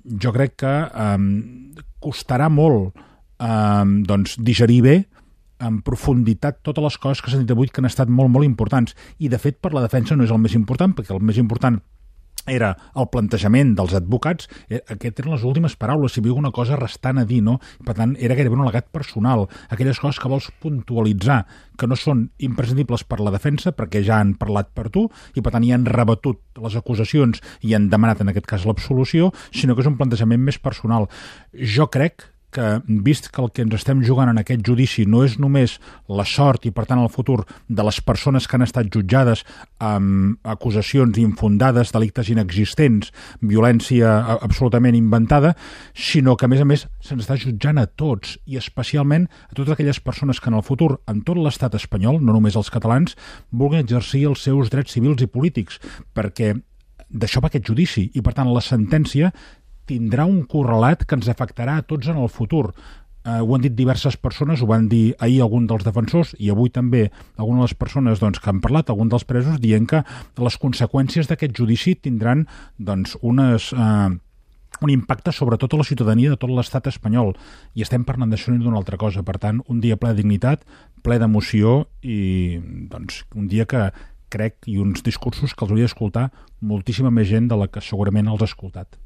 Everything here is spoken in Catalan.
jo crec que costarà molt digerir bé en profunditat totes les coses que s'han dit avui que han estat molt, molt importants. I, de fet, per la defensa no és el més important, perquè el més important era el plantejament dels advocats. Aquestes eren les últimes paraules, si hi havia alguna cosa restant a dir, no? Per tant, era gairebé un al·legat personal. Aquelles coses que vols puntualitzar, que no són imprescindibles per la defensa, perquè ja han parlat per tu, i per tant ja han rebatut les acusacions i han demanat, en aquest cas, l'absolució, sinó que és un plantejament més personal. Jo crec que, vist que el que ens estem jugant en aquest judici no és només la sort i, per tant, el futur de les persones que han estat jutjades amb acusacions infundades, delictes inexistents, violència absolutament inventada, sinó que, a més, se'ns està jutjant a tots, i especialment a totes aquelles persones que en el futur, en tot l'estat espanyol, no només els catalans, vulguin exercir els seus drets civils i polítics, perquè d'això va aquest judici, i, per tant, la sentència tindrà un correlat que ens afectarà a tots en el futur. Ho han dit diverses persones, ho van dir ahir algun dels defensors i avui també algunes de les persones que han parlat, algun dels presos, dient que les conseqüències d'aquest judici tindran un impacte sobre tota la ciutadania de tot l'estat espanyol. I estem parlant d'això i d'una altra cosa. Per tant, un dia ple de dignitat, ple d'emoció i un dia que crec i uns discursos que els hauria d'escoltar moltíssima més gent de la que segurament els ha escoltat.